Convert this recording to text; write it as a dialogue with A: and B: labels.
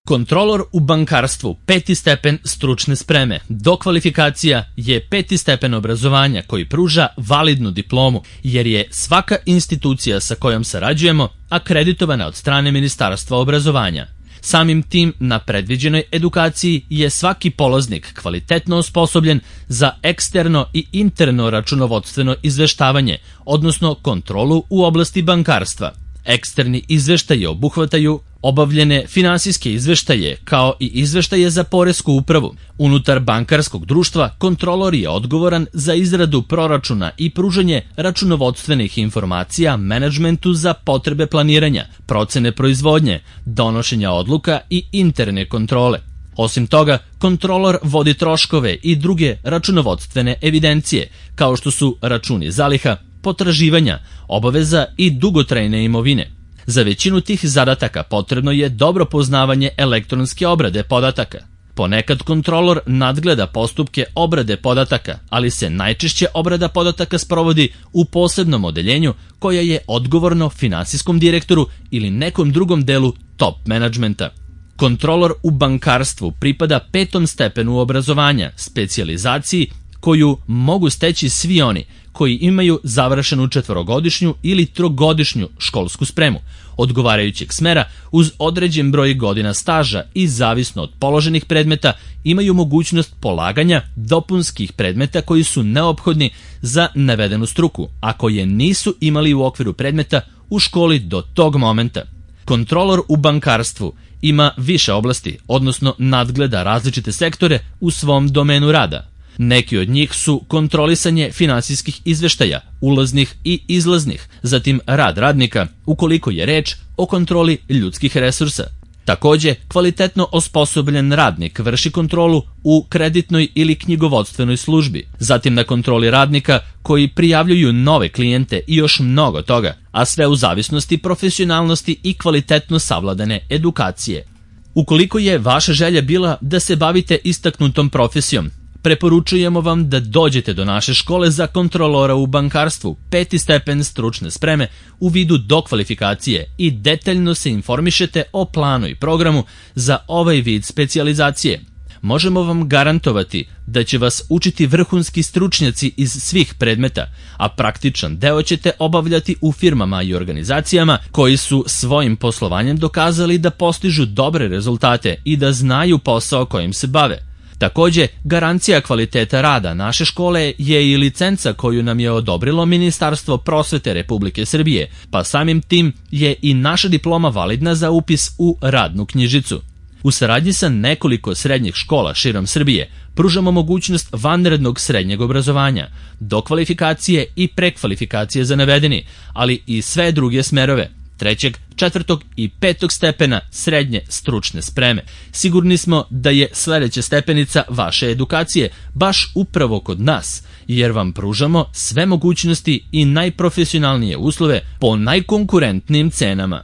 A: Kontrolor u bankarstvu 5. stepen stručne spreme. Dokvalifikacija je 5. stepen obrazovanja koji pruža validnu diplomu, jer je svaka institucija sa kojom sarađujemo akreditovana od strane Ministarstva obrazovanja. Samim tim, na predviđenoj edukaciji je svaki polaznik kvalitetno osposobljen za eksterno i interno računovodstveno izveštavanje, odnosno kontrolu u oblasti bankarstva. Eksterni izveštaji obuhvataju obavljene finansijske izveštaje, kao i izveštaje za poresku upravu. Unutar bankarskog društva kontrolor je odgovoran za izradu proračuna i pružanje računovodstvenih informacija menadžmentu za potrebe planiranja, procene proizvodnje, donošenja odluka i interne kontrole. Osim toga, kontrolor vodi troškove i druge računovodstvene evidencije, kao što su računi zaliha, potraživanja, obaveza i dugotrajne imovine. Za većinu tih zadataka potrebno je dobro poznavanje elektronske obrade podataka. Ponekad kontrolor nadgleda postupke obrade podataka, ali se najčešće obrada podataka sprovodi u posebnom odeljenju koje je odgovorno finansijskom direktoru ili nekom drugom delu top menadžmenta. Kontrolor u bankarstvu pripada 5. stepenu obrazovanja, specijalizaciji koju mogu steći svi oni koji imaju završenu 4-godišnju ili 3-godišnju školsku spremu, odgovarajućeg smera uz određen broj godina staža i zavisno od položenih predmeta imaju mogućnost polaganja dopunskih predmeta koji su neophodni za navedenu struku, a koje nisu imali u okviru predmeta u školi do tog momenta. Kontrolor u bankarstvu ima više oblasti, odnosno nadgleda različite sektore u svom domenu rada. Neki od njih su kontrolisanje finansijskih izveštaja, ulaznih i izlaznih, zatim rad radnika, ukoliko je reč o kontroli ljudskih resursa. Takođe, kvalitetno osposobljen radnik vrši kontrolu u kreditnoj ili knjigovodstvenoj službi, zatim na kontroli radnika koji prijavljuju nove klijente i još mnogo toga, a sve u zavisnosti profesionalnosti i kvalitetno savladane edukacije. Ukoliko je vaša želja bila da se bavite istaknutom profesijom, preporučujemo vam da dođete do naše škole za kontrolora u bankarstvu 5. stepen stručne spreme u vidu dokvalifikacije i detaljno se informišete o planu i programu za ovaj vid specijalizacije. Možemo vam garantovati da će vas učiti vrhunski stručnjaci iz svih predmeta, a praktičan deo ćete obavljati u firmama i organizacijama koji su svojim poslovanjem dokazali da postižu dobre rezultate i da znaju posao kojim se bave. Takođe, garancija kvaliteta rada naše škole je i licenca koju nam je odobrilo Ministarstvo prosvete Republike Srbije, pa samim tim je i naša diploma validna za upis u radnu knjižicu. U saradnji sa nekoliko srednjih škola širom Srbije pružamo mogućnost vanrednog srednjeg obrazovanja, dokvalifikacije i prekvalifikacije za navedeni, ali i sve druge smerove, 3., 4. i 5. stepena srednje stručne spreme. Sigurni smo da je sledeća stepenica vaše edukacije baš upravo kod nas, jer vam pružamo sve mogućnosti i najprofesionalnije uslove po najkonkurentnijim cenama.